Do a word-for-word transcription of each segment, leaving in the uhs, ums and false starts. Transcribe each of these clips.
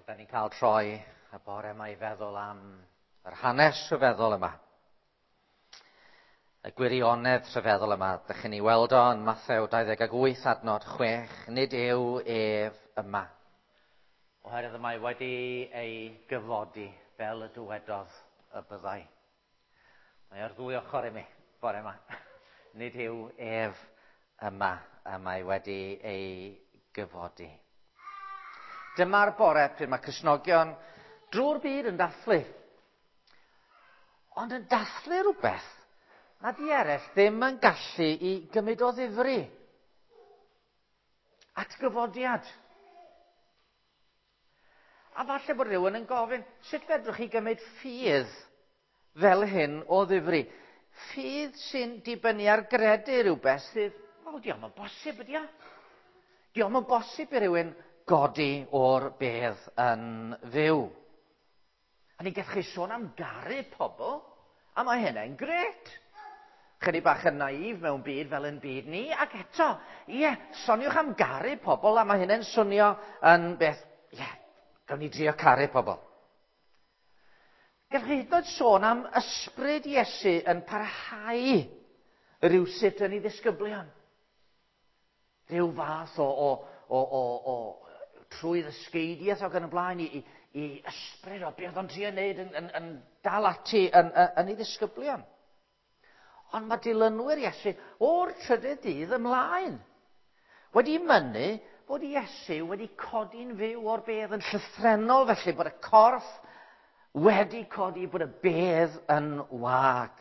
Da ni'n cael troi y bore yma i feddwl am yr hanes rhyfeddol yma. Y gwirionedd rhyfeddol yma. Dych chi'n ei weld o yn Mathew dau ddeg wyth adnod chwech. Nid yw ef yma. Oherwydd y mae wedi ei gyfodi fel y dywedodd y byddai. Mae ar ddwy ochr i mi bore yma. Nid yw ef yma, y mae wedi ei gyfodi. Dyma'r bore pryd mae Cristnogion drwy'r byd yn dathlu. Ond yn dathlu rhywbeth nad i eraill ddim yn gallu i gymryd o ddifri. Atgyfodiad. A falle bod rhywun yn gofyn, sut fedrwch chi gymryd ffydd fel hyn o ddifri? Ffydd sy'n dibynnu ar gredu rhywbeth sydd, wel, dio'm yn bosib ydi o. Dio'm yn bosib i rywun godi o'r bedd yn fyw. A ni gallwch chi sôn am garu pobl, a mae hynny'n grêt. Chydig bach yn naif mewn byd fel yn byd ni, ac eto, ie, soniwch am garu pobl, a mae hynny'n swnio yn beth, ie, gawn ni drio caru pobl. Gallwch chi hyd yn oed sôn am ysbryd Iesu yn parhau rhywsut yn ei ddisgyblion. Rhyw fath o, o, o, o, o trwy ddysgeidiaeth ac yn y blaen i, i, i ysbryd o beth o'n trio wneud yn, yn, yn dal ati yn, yn, yn ei ddisgyblion. Ond mae dilynwyr Iesu o'r trydydd dydd ymlaen wedi mynnu bod Iesu wedi codi'n fyw o'r bedd yn llythrennol, felly bod y corff wedi codi, bod y bedd yn wag.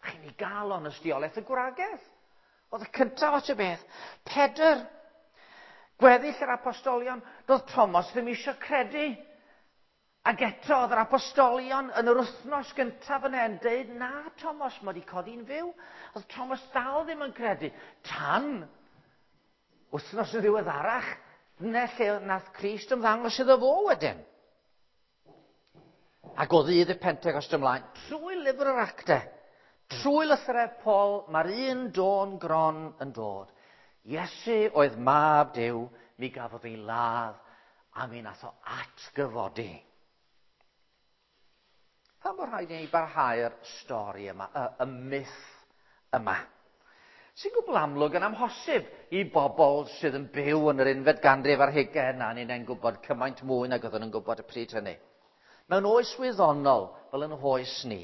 Chi'n ei gael o'n ystiolaeth y gwragedd. Oedd y cyntaf at y bedd. Pedr, gweddill yr apostolion, doedd Thomas ddim eisiau credu. Ac eto oedd yr apostolion yn yr wythnos gyntaf yna yn dweud, na Thomas, mae wedi codi'n fyw. Oedd Thomas dal ddim yn credu. Tan wythnos yn ddiweddarach, dyna lle nath Crist ymddangos iddo fo wedyn. Ac o ddydd y Pentecost ymlaen, trwy lyfr yr Actau, trwy lythyrau Paul, mae'r un dôn gron yn dod. Iesu oedd mab Duw, mi gafodd ei ladd, a mi nath o atgyfodi. Pam bod rhaid i ni barhau'r stori yma, y, y myth yma? Sy'n gwbl amlwg yn amhosib i bobl sydd yn byw yn yr unfed ganrif ar hugain, a ni'n gwybod cymaint mwy nag oedden nhw'n gwybod y pryd hynny. Mewn oes wyddonol, fel yn oes ni,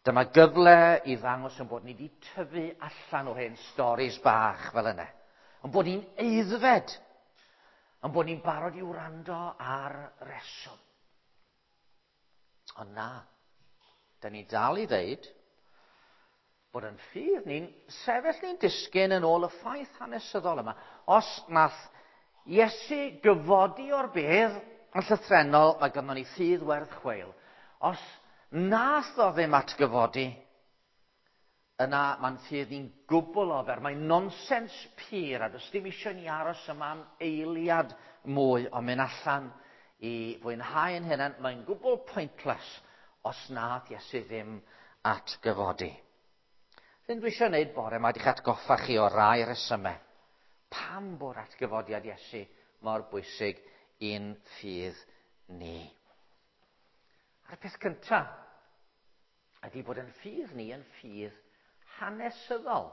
dyma gyfle i ddangos yn bod ni wedi tyfu allan o'r hen storis bach fel yna. Yn bod ni'n aeddfed, yn bod ni'n barod i wrando ar reswm. Ond na, da ni dal i ddeud bod yn ffydd ni'n sefyll ni'n disgyn yn ôl y ffaith hanesyddol yma. Os nath Iesu gyfodi o'r bedd yn llythrennol, mae ganddo ni ffydd werth chweil. Os nath o ddim atgyfodi, yna mae'n ffydd ni'n gwbl ofer. Mae'n nonsens pur, a does dim eisiau ni aros yma am eiliad mwy o mynd allan i fwynhau yn hynny. Mae'n gwbl pointless os nath Iesu ddim atgyfodi. Hyn dwi eisiau gwneud bore yma, di'ch atgoffa chi o rai resymau. Pam bod atgyfodiad Iesu mor bwysig i'n ffydd ni? A'r peth cyntaf ydy bod yn ffydd ni yn ffydd hanesyddol.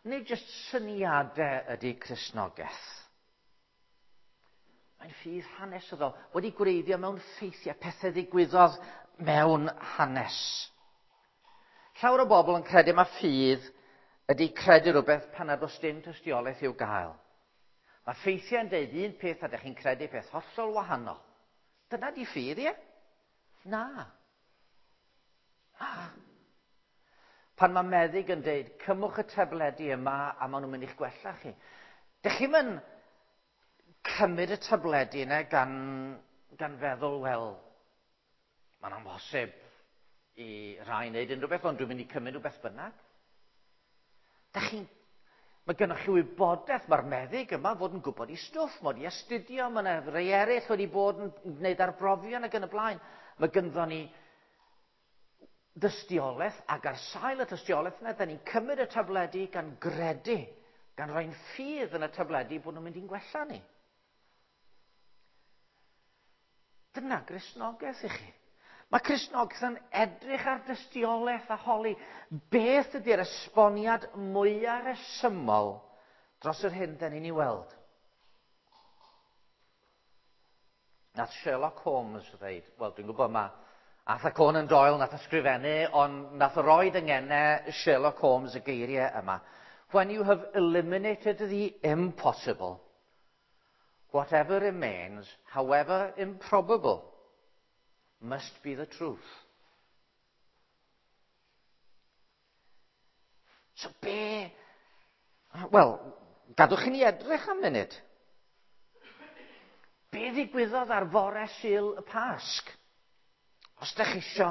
Nid jyst syniadau ydy Cristnogaeth. Mae'n ffydd hanesyddol, wedi gwreiddio mewn ffeithiau, pethau ddigwyddodd mewn hanes. Llawer o bobl yn credu mae ffydd ydy credu rhywbeth pan nad oes dim tystiolaeth i'w gael. Mae ffeithiau yn deud un peth a ydych chi'n credu peth hollol wahanol. Dyna di ffydd, ie? Na. Na. Pan mae meddyg yn deud, cymwch y tabledi yma a maen nhw'n mynd i'ch gwella chi. Dych chi'm yn cymryd y tabledi yna gan, gan feddwl, wel, mae'n amhosib i rai wneud unrhyw beth, ond dwi'n mynd i cymryd rhywbeth bynnag. Dych chi'n, mae gennych chi wybodaeth, mae'r meddyg yma fod yn gwybod i stwff, mae wedi astudio, mae yna rei eraill wedi bod yn gwneud arbrofion ac yn y blaen. Mae gynddon ni dystiolaeth, ac ar sail y tystiolaeth yna, da ni'n cymryd y tabledi gan gredu, gan roi'n ffydd yn y tabledi bod nhw'n mynd i'n gwella ni. Dyna Gristnogaeth i chi. Mae Cristnogaeth yn edrych ar dystiolaeth a holi beth ydy'r esboniad mwyaf rhesymol dros yr hyn da ni'n ei weld. Nath Sherlock Holmes ddeud, wel, dwi'n gwybod ma Arthur Conan Doyle nath ysgrifennu, ond nath o roid yng ngenau Sherlock Holmes y geiriau yma. "When you have eliminated the impossible, whatever remains, however improbable, must be the truth." So be... Wel, gadwch i ni edrych am munud. Be ddigwyddodd ar fore Sul y Pasg? Os ydych chi isio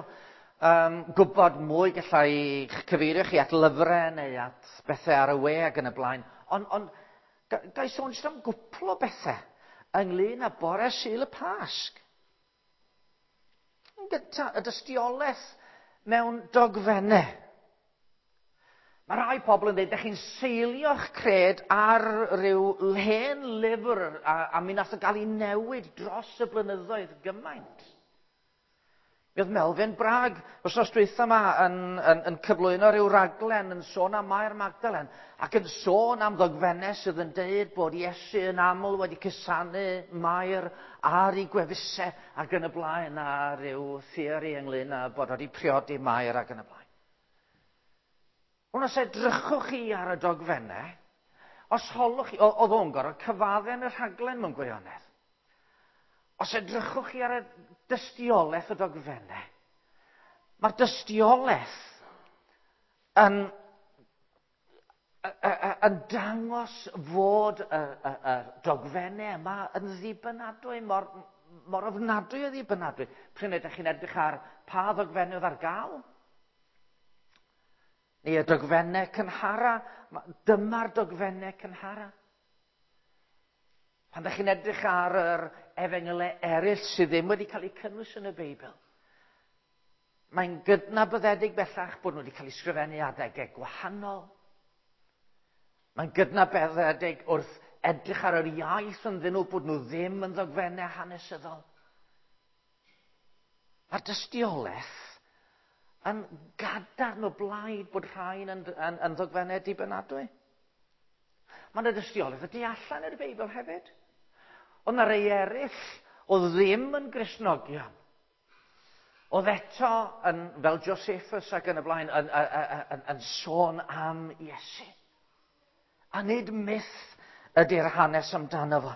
um, gwybod mwy, gallai cyfeirio chi at lyfrau neu at bethau ar y we ac yn y blaen. Ond on, ga i sôn jyst am gwpl o bethau ynglyn â bore Sul y Pasg. Yn gyntaf, y dystiolaeth mewn dogfennau. Mae rhai pobl yn dweud, ydych chi'n seilio'ch cred ar ryw hen lyfr a, a mi nath o gael ei newid dros y blynyddoedd gymaint. Mi oedd Melvyn Bragg wythnos dwytha yma yn, yn, yn cyflwyno rhyw raglen yn sôn am Mair Magdalen ac yn sôn am ddogfennau sydd yn deud bod Iesu yn aml wedi cusanu Mair ar ei gwefusau ac yn y blaen, a rhyw theori ynglyn â bod wedi priodi Mair ac yn y blaen. Ond os edrychwch chi ar y dogfennau, os holwch chi, oedd o'n gorfod cyfadde yn y rhaglen mewn gwirionedd. Os edrychwch chi ar y dystiolaeth y dogfennau, mae'r dystiolaeth yn, yn dangos fod y, y, y dogfennau yma yn ddibynadwy, mor, mor ofnadwy o ddibynadwy. Pryd ydych chi'n edrych ar pa ddogfennau oedd ar gael? Neu y dogfennau cynhara, dyma'r dogfennau cynhara. Pan ydych chi'n edrych ar yr efengylau eraill sydd ddim wedi cael eu cynnwys yn y Beibl, mae'n gydnabyddedig bellach bod nhw wedi cael eu sgrifennu adegau gwahanol. Mae'n gydnabyddedig wrth edrych ar yr iaith ynddyn nhw bod nhw ddim yn ddogfennau hanesyddol. Mae'r dystiolaeth yn gadarn o blaid bod rhain yn, yn, yn ddogfennau dibynadwy. Mae yna dystiolaeth y tu allan i'r Beibl hefyd. Ond na rei eraill oedd ddim yn Gristnogion. Oedd eto, yn, fel Josephus ac yn y blaen, yn, yn, yn, yn sôn am Iesu. A nid myth ydy'r hanes amdano fo.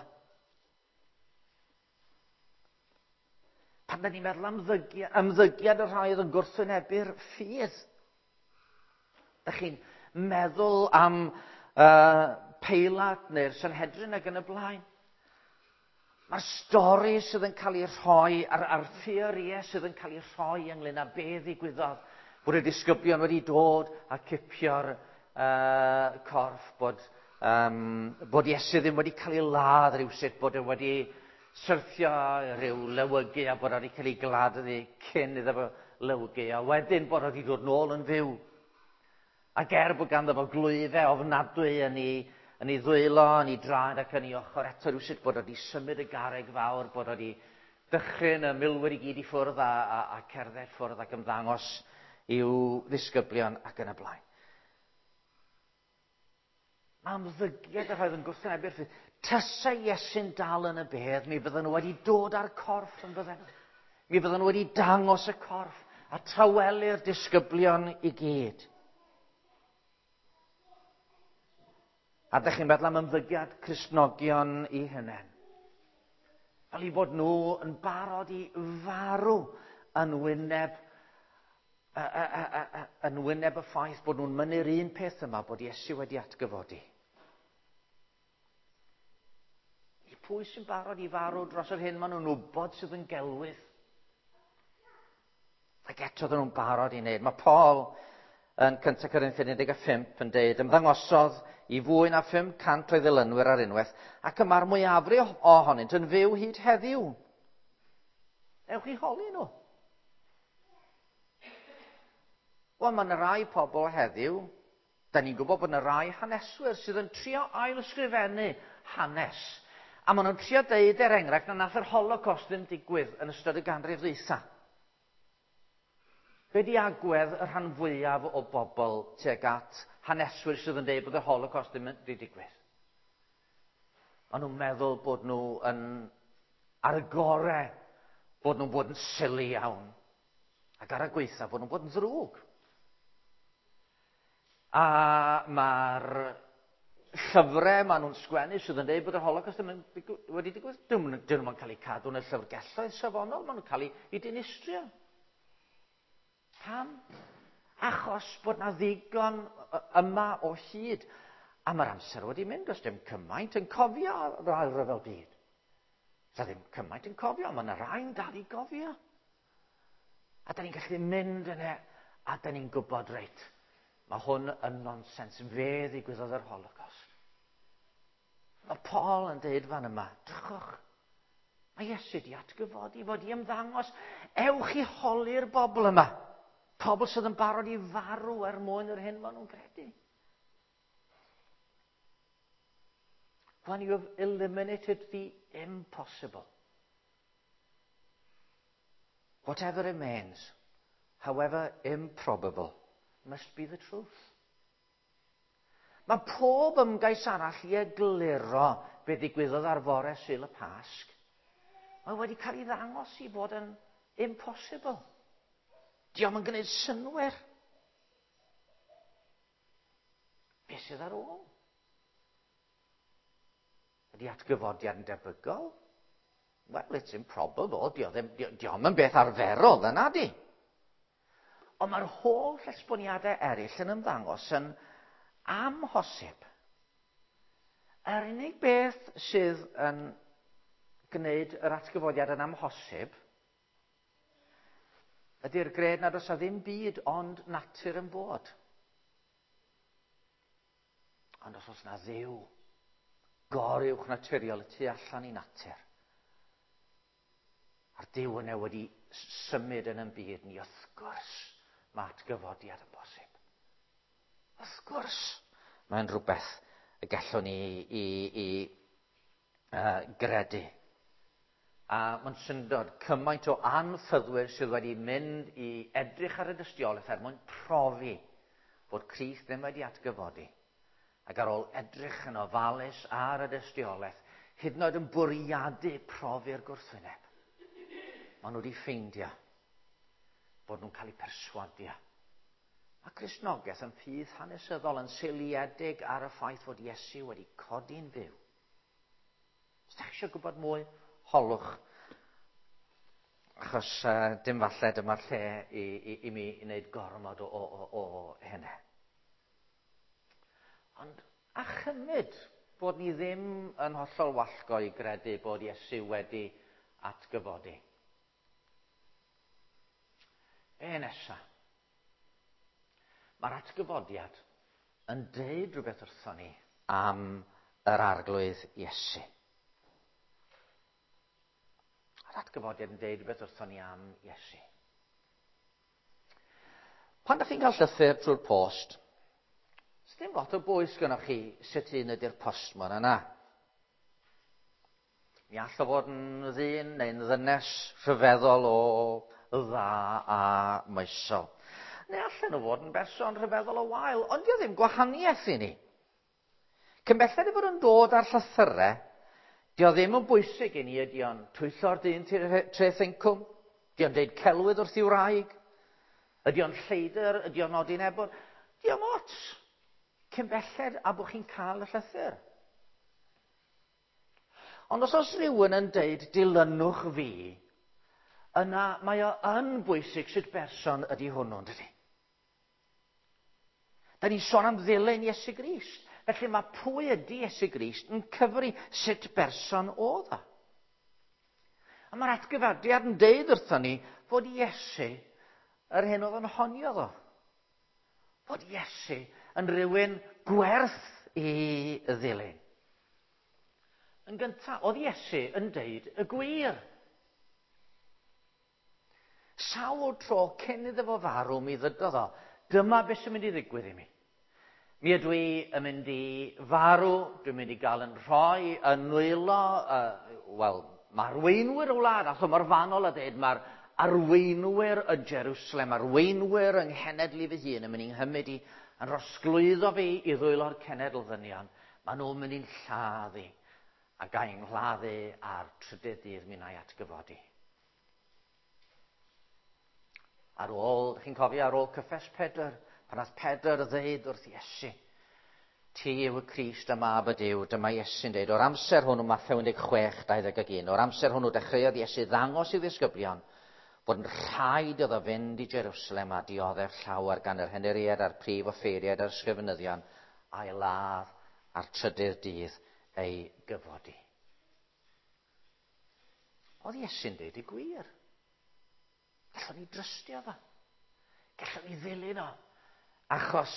Pan da ni'n meddwl am ymddygiad, ymddygiad y rhai oedd yn gwrthwynebu'r ffydd. Dych chi'n meddwl am uh, Peilat neu'r Sanhedrin ac yn y blaen. Mae'r stori sydd yn cael ei rhoi, a'r, a'r theorïau sydd yn cael ei rhoi ynglyn â be ddigwyddodd, bod y disgyblion wedi dod a cipio'r uh, corff, bod, um, bod Iesu ddim wedi cael ei ladd rhywsut, bod e wedi syrthio rhyw lewygu a bod wedi cael ei gladdu cyn iddo fo lewygu, a wedyn bod wedi dod nôl yn fyw. Ac er bod ganddo fo glwyfau ofnadwy yn ei, yn ei ddwylo, yn ei draed ac yn ei ochr, eto rhywsut bod wedi symud y garreg fawr, bod wedi dychryn y milwyr i gyd i ffwrdd a, a, a cerdded ffwrdd ac ymddangos i'w ddisgyblion ac yn y blaen. Mae ymddygiad y rhai oedd yn gwrthwynebu'r ffydd. Tasa Iesu'n dal yn y bedd, mi fydden nhw wedi dod â'r corff yn bydden. Mi fydden nhw wedi dangos y corff a tawelu'r disgyblion i gyd. A ydych chi'n meddwl am ymddygiad Cristnogion i hunain. Fel i bod nhw yn barod i farw yn wyneb, y, y, y, y, yn wyneb y ffaith bod nhw'n mynnu'r un peth yma, bod Iesu wedi atgyfodi. I pwy sy'n barod i farw dros yr hyn maen nhw'n wybod sydd yn gelwydd? Ac eto oedden nhw'n barod i wneud. Mae Paul yn Cyntaf Corinthiaid un deg pump yn deud, ymddangosodd i fwy na phum cant o'i ddilynwyr ar unwaith, ac y mae'r mwyafrif ohonynt yn fyw hyd heddiw. Ewch i holi nhw. Wel, mae yna rai pobl heddiw, da ni'n gwybod bod yna rai haneswyr sydd yn trio ail-ysgrifennu hanes, A maen nhw'n trio deud, er enghraifft, na nath yr Holocaust ddim digwydd yn ystod y ganrif ddwytha. Be di agwedd y rhan fwyaf o bobl tuag at haneswyr sydd yn deud bod yr Holocaust ddim wedi digwydd? Maen nhw'n meddwl bod nhw yn ar y gore, bod nhw'n bod yn silly iawn. Ac ar y gweitha bod nhw'n bod yn ddrwg. A mae'r llyfrau maen nhw'n sgwennu sydd yn dweud bod yr Holocaust ddim yn wedi digwydd, dyn nhw'n cael eu cadw yn y llyfrgelloedd safonol, maen nhw'n cael eu dinistrio. Pam? Achos bod na ddigon yma o hyd. A mae'r amser wedi mynd, does dim cymaint yn cofio yr Ail Ryfel Byd. Does ddim cymaint yn cofio, mae yna rai'n dal i gofio. A da ni'n gallu mynd yna, a da ni'n gwybod, reit, mae hwn yn nonsens, fe ddigwyddodd yr Holocaust. Mae Paul yn dweud fan yma, drychwch, mae Iesu di atgyfodi, fod i ymddangos, ewch i holi'r bobl yma. Pobl sydd yn barod i farw er mwyn yr hyn maen nhw'n credu. When you have eliminated the impossible, whatever remains, however improbable, must be the truth. Mae pob ymgais arall i egluro be ddigwyddodd ar fore Sul y Pasg, mae wedi cael ei ddangos i fod yn impossible. Dio'm yn gwneud synnwyr. Be sydd ar ôl? Ydy atgyfodiad yn debygol? Well, it's improbable. Dio'm yn beth arferol, yna di. Ond mae'r holl esboniadau eraill yn ymddangos yn amhosib. Yr unig beth sydd yn gwneud yr atgyfodiad yn amhosib ydy'r gred nad oes 'na ddim byd ond natur yn bod. Ond os oes 'na Dduw goruwch naturiol y tu allan i natur, a'r Duw yna wedi symud yn ein byd ni, wrth gwrs mae atgyfodiad yn bosib. Wrth gwrs mae'n rhywbeth y gallwn ni i, i, uh, gredu. A mae'n syndod cymaint o anffyddwyr sydd wedi mynd i edrych ar y dystiolaeth er mwyn profi bod Crist ddim wedi atgyfodi. Ac ar ôl edrych yn ofalus ar y dystiolaeth, hyd yn oed yn bwriadu profi'r gwrthwyneb, maen nhw wedi ffeindio bod nhw'n cael eu perswadio. Mae Cristnogaeth yn ffydd hanesyddol yn seiliedig ar y ffaith fod Iesu wedi codi'n fyw. Os ydych chi eisiau gwybod mwy, holwch. Achos uh, dim falle dyma'r lle i, i, i mi wneud gormod o, o, o, o hynny. Ond a chymryd bod ni ddim yn hollol wallgo i gredu bod Iesu wedi atgyfodi. Be nesa? Mae'r atgyfodiad yn deud rhywbeth wrthon ni am yr Arglwydd Iesu. Mae'r atgyfodiad yn deud rhywbeth wrthon ni am Iesu. Pan ydych chi'n cael llythyr trwy'r post, dim lot o bwys gynnoch chi sut un ydy'r postmon yna. Mi all o fod yn ddyn neu'n ddynes rhyfeddol o dda a moesol. Neu allan nhw fod yn berson rhyfeddol o wael, ond dio ddim gwahaniaeth i ni. Cyn belled ei fod yn dod ar llythyrau, dio ddim yn bwysig i ni ydy o'n twyllo'r dyn treth incwm, ydy o'n deud celwydd wrth i'w wraig, ydy o'n lleidr, ydy o'n nodi'n ebon, dio'm ots. Cyn belled a bod chi'n cael y llythyr. Ond os oes rhywun yn deud dilynwch fi, yna mae o yn bwysig sut berson ydy hwnnw, dydy? Da ni'n sôn am ddilyn Iesu Grist. Felly mae pwy ydy Iesu Grist yn cyfri sut berson oedd o. A mae'r atgyfodiad yn deud wrthon ni fod Iesu yr hyn oedd yn honio ddo. Fod Iesu yn rhywun gwerth i ddilyn. Yn gyntaf, oedd Iesu yn deud y gwir. Sawl tro cyn iddo fo farw mi ddydodd o, dyma beth sy'n mynd i ddigwydd i mi. Mi ydw i yn mynd i farw, dwi'n mynd i gael yn rhoi yn nwylo, uh, wel, mae arweinwyr y wlad, ath o mor fanol a dweud, mae'r arweinwyr yn Jerusalem, arweinwyr yng nghenedl i fy hun yn mynd i'n nghymryd i, yn rosglwyddo fi i ddwylo'r cenedl ddynion. Maen nhw'n mynd i'n lladdu, a gael i'n lladdu ar trydydd dydd mi wna i atgyfodi. Ar ôl, chi'n cofio, ar ôl cyffes Pedr, pan nath Pedr ddeud wrth Iesu, ti yw y Crist y Mab y Duw, dyma Iesu'n deud, o'r amser hwnnw, Mathew un deg chwech, dau ddeg un, o'r amser hwnnw dechreuodd Iesu ddangos i'w ddisgyblion bod yn rhaid iddo fynd i Jerusalem a dioddef llawer gan yr henuriaid a'r prif offeiriaid a'r ysgrifenyddion, a'i ladd a'r trydydd dydd ei gyfodi. Oedd Iesu'n deud y gwir. Gallwn ni drystio fo. Gallwn ni ddilyn o. Achos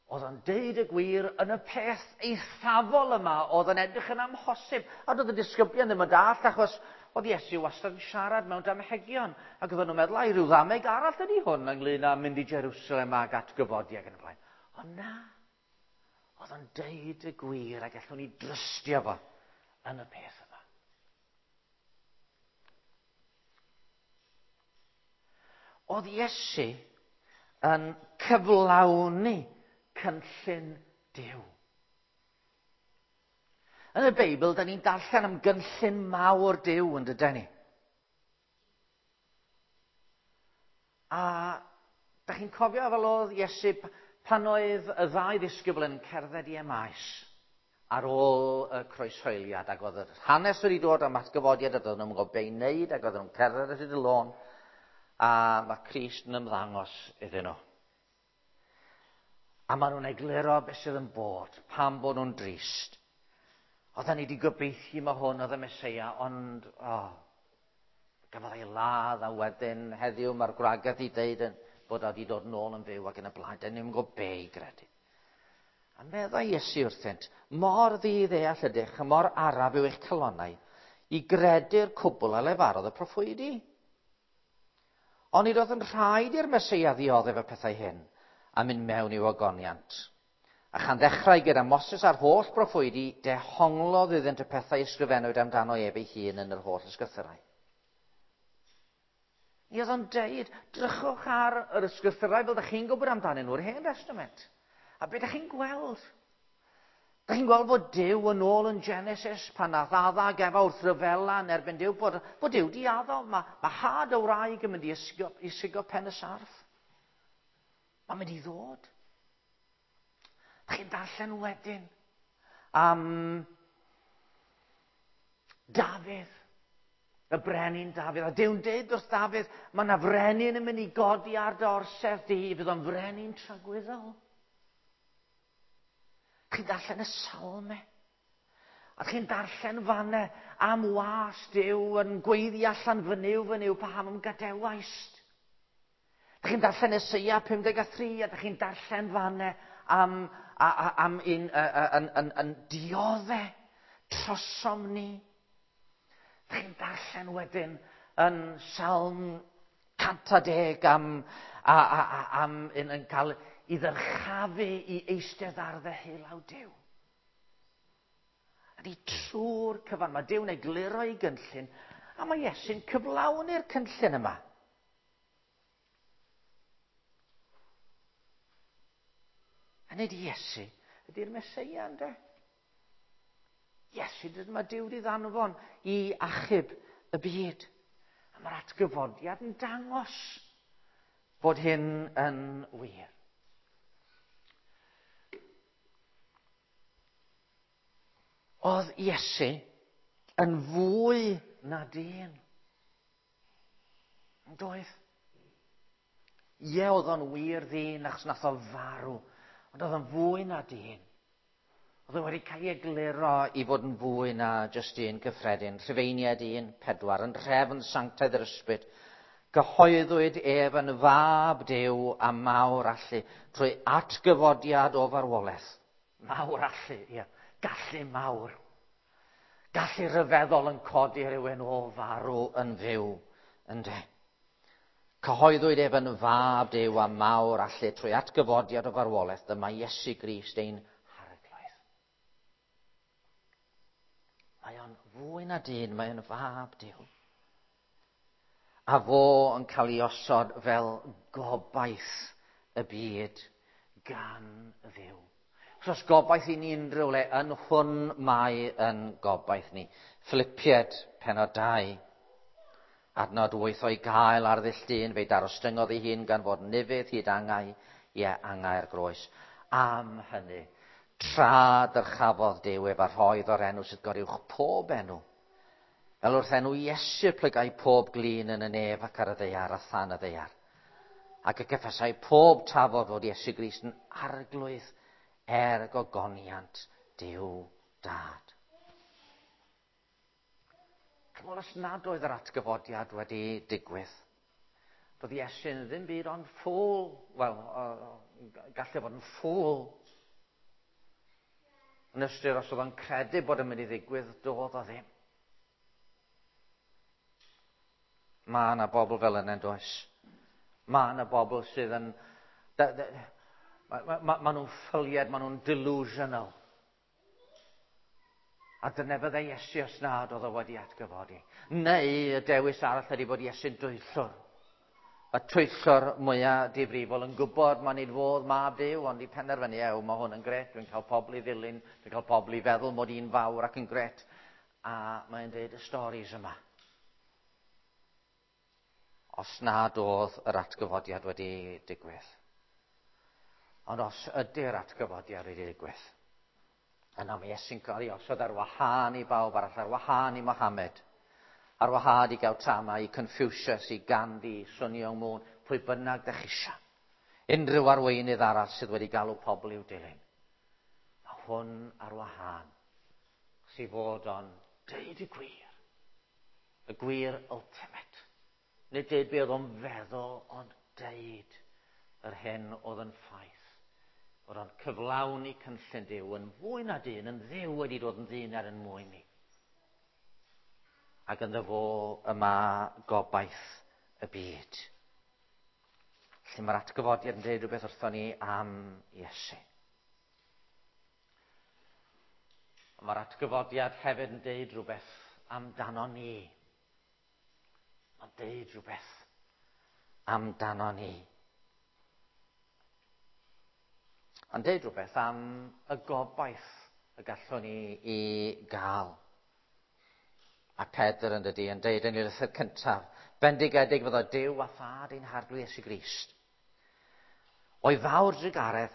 oedd o'n deud y gwir yn y peth eithafol yma, oedd yn edrych yn amhosib. A doedd y disgyblion ddim yn dallt, achos oedd Iesu wastad yn siarad mewn damhegion. Ac oedden nhw'n meddwl, ai rhyw ddameg arall ydy hwn ynglyn â mynd i Jerusalem ac atgyfodi ac yn y blaen. Ond na, oedd o'n deud y gwir a gallwn ni drystio fo yn y peth yma. Oedd Iesu yn cyflawni cynllun Duw. Yn y Beibl, da ni'n darllen am gynllun mawr Duw yn dyden ni. A da chi'n cofio fel oedd Iesu pan oedd y ddau ddisgybl yn cerdded i Emaus ar ôl y croeshoeliad, ac oedd yr hanes wedi dod am atgyfodiad, a doedden nhw'n gwybod be i wneud, ac oedden nhw'n cerdded ar hyd y lôn, a mae Crist yn ymddangos iddyn nhw. A maen nhw'n egluro beth sydd yn bod, pam bod nhw'n drist. Oedden ni wedi gobeithio mae hwn oedd y Meseia, ond oh, gafodd ei ladd, a wedyn heddiw mae'r gwragedd i ddeud bod o wedi dod nôl yn fyw ac yn y blaen. Dyn ni'n gwybod be i gredu. A meddai Iesu wrthynt, mor ddi-ddeall ydych, a mor araf yw eich calonnau, i gredu'r cwbl a lefarodd y proffwydi. Ond nid oedd yn rhaid i'r Meseia ddioddef y pethau hyn, a mynd mewn i'w ogoniant. A chan ddechrau gyda Moses a'r holl broffwydi, dehonglodd iddynt y pethau ysgrifennwyd amdano ef ei hun yn yr holl ysgrythurau. Mi oedd o'n deud, drychwch ar yr ysgrythurau fel ydych chi'n gwybod amdanyn nhw'r Hen Testament. A be ydych chi'n gweld? Ydych chi'n gweld fod Duw yn ôl yn Genesis pan nath Adda ac Efa wrth ryfela yn erbyn Duw, bod, bod Duw di addo, mae, mae had y wraig yn mynd i ysgo, i sigo pen y sarff. Mae'n mynd i ddod. Ydych chi'n darllen wedyn am Dafydd, y brenin Dafydd. A Duw'n deud wrth Dafydd, mae yna frenin yn mynd i godi ar dy orsedd di, fydd o'n frenin tragwyddol. Chi'n darllen y salmau. A chi'n darllen fanne am was Duw yn gweiddi allan fy Nuw, fy Nuw, paham ym gadawaist. Chi'n darllen Eseia pum deg a thri, a chi'n darllen fanne am, a, a, am un yn, yn, yn diodde trosom ni. Chi'n darllen wedyn yn Salm cant a deg am, a, a, a, am un yn cael i ddyrchafu i eistedd ar ddeheulaw Duw. Ydy trwy'r cyfan, mae Duw'n egluro ei gynllun, a mae Iesu'n cyflawni'r cynllun yma. A nid Iesu ydy'r Meseia, ynde? Iesu, mae Duw wedi ddanfon i achub y byd. A mae'r atgyfodiad yn dangos bod hyn yn wir. Oedd Iesu yn fwy na dyn. Yn doedd? Ie, oedd o'n wir ddyn achos nath o farw, ond oedd o'n fwy na dyn. Oedd o wedi cael ei egluro i fod yn fwy na jyst un cyffredin. Rhufeiniaid un pedwar, yn nhrefn sanctaidd yr ysbryd, gyhoeddwyd ef yn fab Duw a mawr allu trwy atgyfodiad o farwolaeth. Mawr allu, ie. Gallu mawr. Gallu rhyfeddol yn codi rhywun o farw yn fyw, ynde. Cyhoeddwyd ef yn fab Duw a mawr allu trwy atgyfodiad o farwolaeth, dyma Iesu Grist ein harglwydd. Mae o'n fwy na dyn, mae o'n fab Duw. A fo yn cael ei osod fel gobaith y byd gan Dduw. Os gobaith i ni unrhyw le, yn hwn mae yn gobaith ni. Philippiaid, pennod dau, adnod wyth, o'i gael ar ddull dyn, fe'i darostyngodd ei hun gan fod yn ufudd hyd angau, ie, angau'r groes. Am hynny, tra dyrchafodd Duw ef a rhoedd o'r enw sydd goruwch pob enw. Fel wrth enw Iesu plygai pob glin yn y nef ac ar y ddaear a than y ddaear. Ac y cyffesai pob tafod fod Iesu Grist yn arglwydd er gogoniant Duw Dad. Wel, os nad oedd yr atgyfodiad wedi digwydd, doedd Iesu'n ddim byd ond ffôl. Wel, gallai fod yn ffôl. Yn ystyr, os oedd o'n credu bod yn mynd i ddigwydd, doedd o ddim. Mae yna bobl fel yna, does? Mae yna bobl sydd yn... Mae ma, ma, ma nhw'n ffyliad, maen nhw'n delusional. A dyna fyddai Iesu os nad oedd o wedi atgyfodi. Neu y dewis arall ydy bod Iesu'n dwyllwr. Y twyllwr mwyaf difrifol yn gwybod mae'n nid fodd mab Duw, ond i penderfynu, ew, mae hwn yn gret, dwi'n cael pobl i ddilyn, dwi'n cael pobl i feddwl mod i'n fawr ac yn gret. A mae'n dweud y storis yma. Os nad oedd yr atgyfodiad wedi digwydd. Ond os ydy'r atgyfodiad wedi digwydd, yna mae Iesu'n cael ei osod ar wahân i bawb arall, ar wahân i Mohammed, ar wahân i Gautama, i Confucius, i Gandhi, i Sun Myung Moon, pwy bynnag dych chi eisiau. Unrhyw arweinydd arall sydd wedi galw pobl i'w dilyn. Mae hwn ar wahân, sydd fod o'n deud y gwir. Y gwir ultimate. Nid deud be oedd o'n feddwl, ond deud yr hyn oedd yn ffaith. Bod o'n cyflawni cynllun Duw yn fwy na dyn, yn Dduw wedi dod yn ddyn er yn mwyn ni. Ac ynddo fo y mae gobaith y byd. Felly mae'r atgyfodiad yn dweud rhywbeth wrthon ni am Iesu. Mae'r atgyfodiad hefyd yn dweud rhywbeth amdano ni. Mae'n dweud rhywbeth amdano ni. Mae'n dweud rhywbeth am y gobaith y gallwn ni i gael. A Pedr yn dydi yn dweud yn ei lythyr cyntaf, bendigedig fyddo Duw a Thad ein Harglwydd Iesu Grist. O'i fawr drugaredd,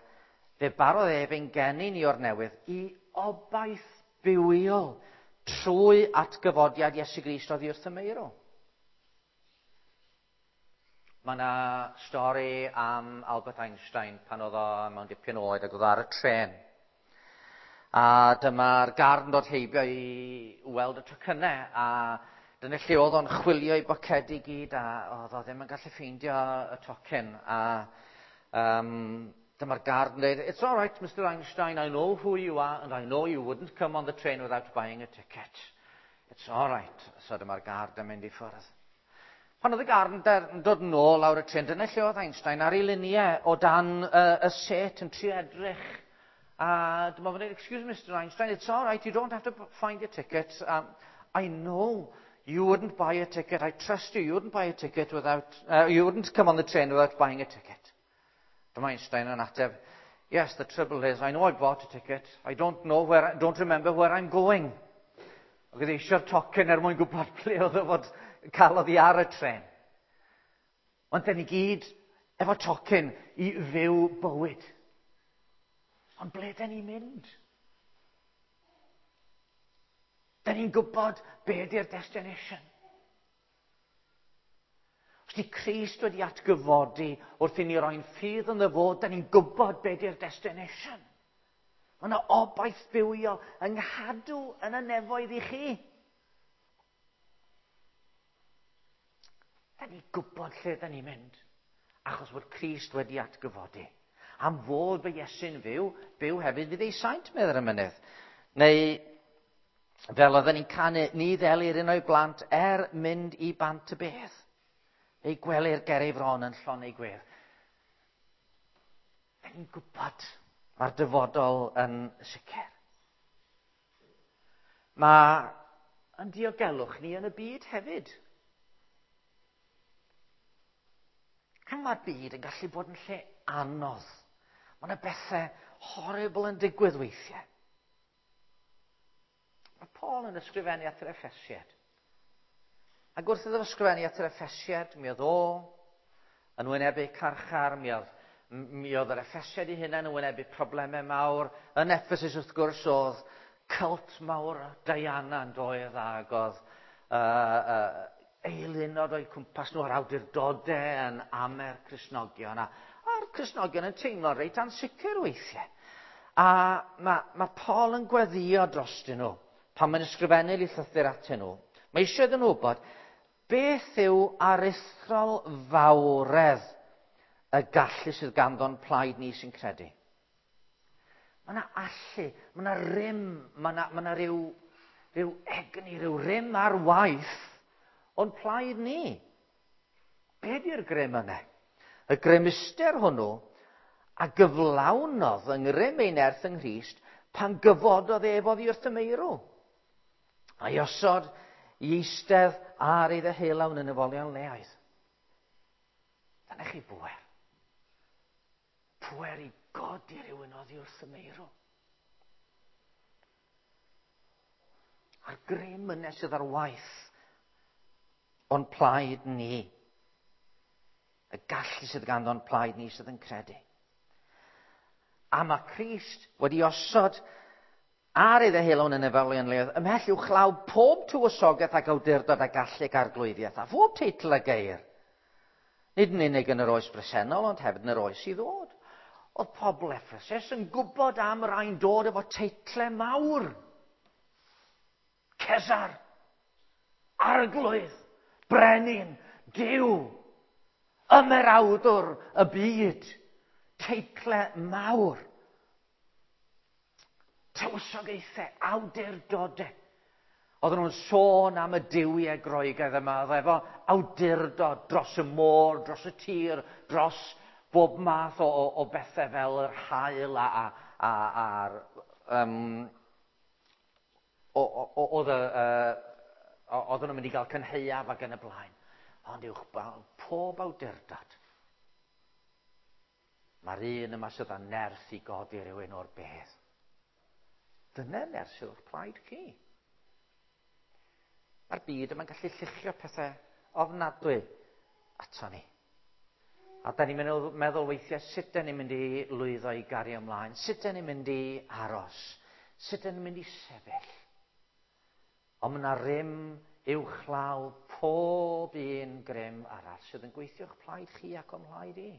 fe barodd ef ein geni ni o'r newydd i obaith bywiol trwy atgyfodiad Iesu Grist oddi wrth y meirw. Mae yna stori am Albert Einstein pan oedd o mewn dipyn oed ac oedd o ar y trên. A dyma'r guard yn dod heibio i weld y tocynnau, a dyna lle oedd o'n chwilio i bocedi gyd, a oedd o ddim yn gallu ffeindio y tocyn. A um, dyma'r guard yn dweud, "It's all right, Mister Einstein, I know who you are, and I know you wouldn't come on the train without buying a ticket. It's all right." So dyma'r guard yn mynd i ffwrdd. Pan oedd y guard yn dod yn ôl lawr y trên, dyna lle oedd Einstein ar ei liniau o dan uh, y set yn trio edrych. A dyma fo'n dweud, "Excuse me, Mister Einstein, it's all right, you don't have to find your ticket. Um, I know you wouldn't buy a ticket, I trust you, you wouldn't buy a ticket without, uh, you wouldn't come on the train without buying a ticket." Dyma Einstein yn ateb, "Yes, the trouble is, I know I bought a ticket, I don't know where, I don't remember where I'm going." Ac oedd eisiau'r tocyn er mwyn gwybod ble oedd o fod cael oddi ar y tren. Ond dyn ni gyd efo tocyn i fyw bywyd. Ond ble dyn ni'n mynd? Dyn ni'n gwybod be ydy'r destination. Os di Crist wedi atgyfodi wrth i ni roi'n ffydd ynddo fo, dyn ni'n gwybod be ydy'r destination. Mae yna obaith bywiol yng nghadw yn y nefoedd i chi. Da ni'n gwybod lle da ni'n mynd, achos bod Crist wedi atgyfodi. Am fod fy Iesu'n fyw, byw hefyd fydd ei saint, meddwl y mynydd. Neu, fel oedden ni'n canu, ni ddelir un o'i blant er mynd i bant y bedd. Ei gwelir ger ei fron yn llon ei gwedd. Da ni'n gwybod mae'r dyfodol yn sicr. Mae yn diogelwch ni yn y byd hefyd. A mae'r byd yn gallu bod yn lle anodd. Mae yna bethau horrible yn digwydd weithiau. Mae Paul yn ysgrifennu at yr Effesiad. Ac wrth iddo ysgrifennu at yr Effesiad, mi oedd o yn wynebu carchar, mi oedd, mi oedd yr Effesiad ei hunain yn wynebu problemau mawr. Yn Ephesus, wrth gwrs, oedd cult mawr Diana yn doedd, ac oedd uh, uh, eilunod o'i cwmpas nhw a'r awdurdodau yn amer Cristnogion. A, a'r Cristnogion yn teimlo reit ansicr weithiau. A mae, mae Paul yn gweddio drostyn nhw pan mae'n ysgrifennu i llythyr atyn nhw. Mae eisiau iddyn nhw wybod beth yw aruthrol fawredd y gallu sydd ganddo'n plaid ni sy'n credu. Mae yna allu, mae yna rym, mae yna, mae yna ryw, ryw egni, ryw rym ar waith o'n plaid ni. Be di'r grym yna? Y grymuster hwnnw a gyflawnodd yng ngrym ei nerth yng Nghrist pan gyfododd ef oddi wrth y meirw. A'i osod i eistedd ar ei ddeheulaw yn y nefolion leoedd. Dyna chi bwer. Pwer i godi rhywun oddi wrth y meirw. A'r grym yna sydd ar waith o'n plaid ni. Y gallu sydd ganddo'n plaid ni sydd yn credu. A mae Crist wedi osod ar ei ddeheulo'n y nefolion leoedd ymhell uwchlaw pob tywysogaeth ac awdurdod a gallu ac arglwyddiaeth a phob teitl a geir. Nid yn unig yn yr oes bresennol, ond hefyd yn yr oes i ddod. Oedd pobl Ephesus yn gwybod am rai'n dod efo teitlau mawr. Cesar, arglwydd, brenin, Duw, ymerawdwr y byd, teitlau mawr. Tywysogaethau, awdurdodau. Oedden nhw'n sôn am y duwiau Groegaidd yma, oedd efo awdurdod dros y môr, dros y tir, dros bob math o, o, o bethau fel yr haul a, a, a, a'r... Um, oedd oedden nhw'n mynd i gael cynhaeaf ac yn y blaen. Ond uwch pob awdurdod. Mae'r un yma sydd â nerth i godi rhywun o'r bedd. Dyna nerth sydd o'ch plaid chi. Mae'r byd yma'n gallu lluchio pethau ofnadwy ato ni. A da ni'n meddwl, meddwl weithiau sut da ni'n mynd i lwyddo i gario ymlaen, sut da ni'n mynd i aros, sut da ni'n mynd i sefyll. Ond mae yna rym uwchlaw pob un grym arall sydd yn gweithio o'ch plaid chi ac o'm mhlaid i.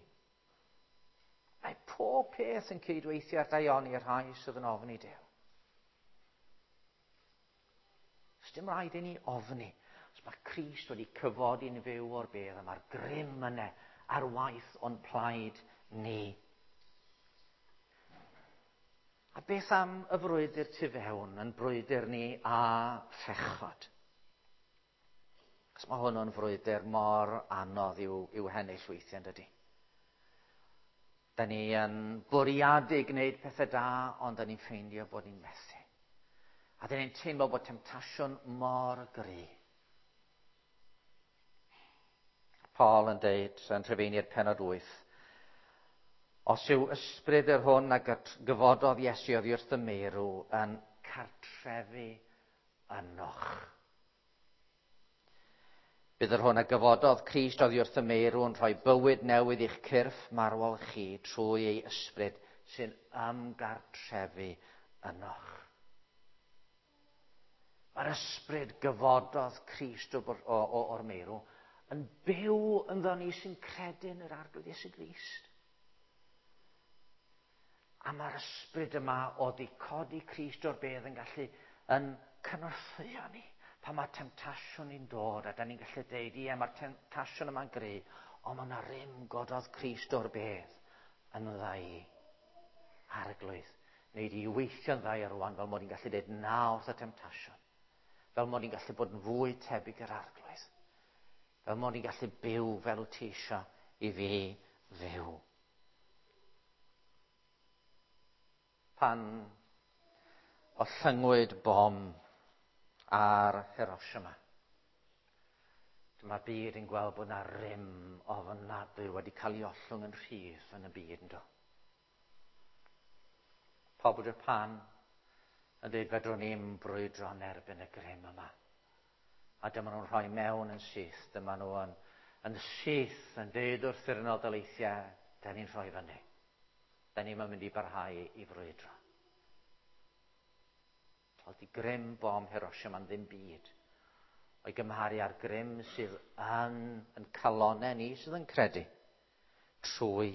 Mae pob peth yn cydweithio ar daioni i'r rhai sydd yn ofni Duw. Does dim rhaid i ni ofni. Os mae Crist wedi cyfodi'n fyw o'r bedd, a mae'r grym yna ar waith o'n plaid ni. A beth am y frwydr tu fewn yn brwydr ni a phechod? Achos mae hwn yn frwydr mor anodd i'w, i'w hennill weithiau, yn dydi? Da ni yn bwriadu gwneud pethau da, ond da ni'n ffeindio bod ni'n methu. A da ni'n teimlo bod temtasiwn mor gry. Paul yn deud yn Rhufeiniaid pennod wyth, os yw ysbryd yr hwn a gyfododd Iesu oddi wrth y meirw yn cartrefu ynoch. Bydd yr hwn a gyfododd Crist oddi wrth y meirw yn rhoi bywyd newydd i'ch cyrff marwol chi trwy ei ysbryd sy'n ymgartrefu ynoch. Mae'r ysbryd gyfododd Crist o, o, o, o'r meirw yn byw ynddo ni sy'n credu yn yr Arglwydd Iesu Grist. A mae'r ysbryd yma o di codi Crist o'r bedd yn gallu yn cynorthwyo ni. Pan mae temtasiwn ni'n dod, a da ni'n gallu deud, ie, mae'r temtasiwn yma'n gry, ond mae yna rym gododd Crist o'r bedd yn dda i. Arglwydd, wneud i weithio'n dda i rwan, fel mod i'n gallu deud na wrth y temtasiwn. Fel mod i'n gallu bod yn fwy tebyg i'r Arglwydd. Fel mod i'n gallu byw fel wyt ti eisiau i fi fyw. Pan ollyngwyd bom ar Hiroshima, dyma'r byd yn gweld bod yna rym ofnadwy wedi cael ei ollwng yn rhydd yn y byd, ynddo. Pobl Japan yn dweud fedrwn ni'm brwydro yn erbyn y grym yma. A dyma nhw'n rhoi mewn yn syth, dyma nhw yn, yn syth yn dweud wrth yr Unol Daleithiau, da ni'n rhoi fyny. Da ni'n mynd i barhau i frwydro. Oedd di grym bom Hiroshima yn ddim byd o'i gymharu â'r grym sydd yn, yn calonau ni sydd yn credu trwy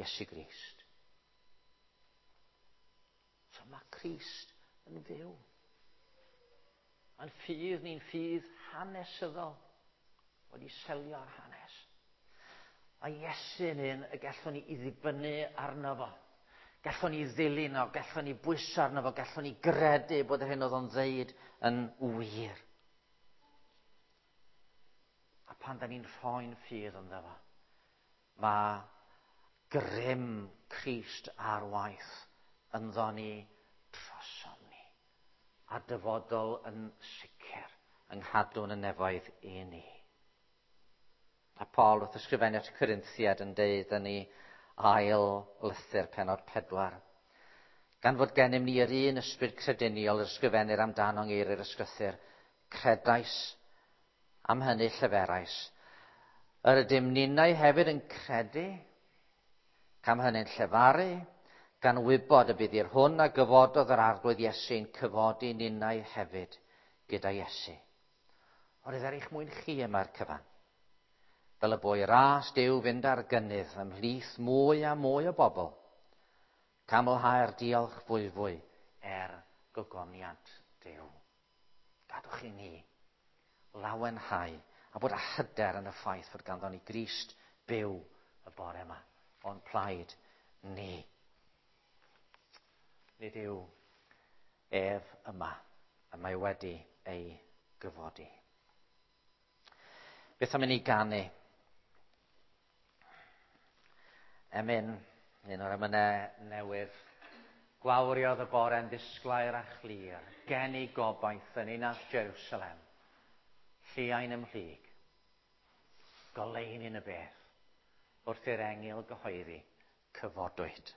Iesu Grist. So mae Crist yn fyw. Mae'n ffydd ni'n ffydd hanesyddol wedi selio ar hanes. Mae Iesu yn un y gallwn ni i ddibynnu arno fo. Gallwn ni ddilyn o, gallwn ni bwyso arno fo, gallwn ni gredu bod yr hyn oedd o'n ddeud yn wir. A pan da ni'n rhoi'n ffydd ynddo fo, mae grym Crist ar waith ynddo ni trosom ni. A dyfodol yn sicr yng nghadw'n y nefoedd i ni. A Paul wrth ysgrifennu at y Corinthiad yn deud yn ei ail lythyr pennod pedwar. Gan fod gennym ni yr un ysbryd crediniol yr ysgrifennir amdano yng ngeiriau'r ysgrythur, credais am hynny lleferais. Yr ydym ninnau hefyd yn credu, cam hynny'n llefaru, gan wybod y bydd i'r hwn a gyfododd yr Arglwydd Iesu'n cyfodi ninnau hefyd gyda Iesu. Ond er eich mwyn chi yma'r cyfan. Fel y boi ras Duw fynd ar gynnydd ymhlith mwy a mwy o bobl, camlhau'r diolch fwyfwy er gogoniant Duw. Gadwch i ni lawenhau a bod â hyder yn y ffaith fod ganddo ni Grist byw y bore yma o'n plaid ni. Nid yw ef yma, y mae wedi ei gyfodi. Beth am i ni ganu? Emyn, un o'r emynau newydd. Gwawriodd y bore'n ddisglair a chlir, geni gobaith yn ninas Jerusalem, lliain ymhlyg, goleuni yn y beth, wrth i'r engyl gyhoeddi, cyfodwyd.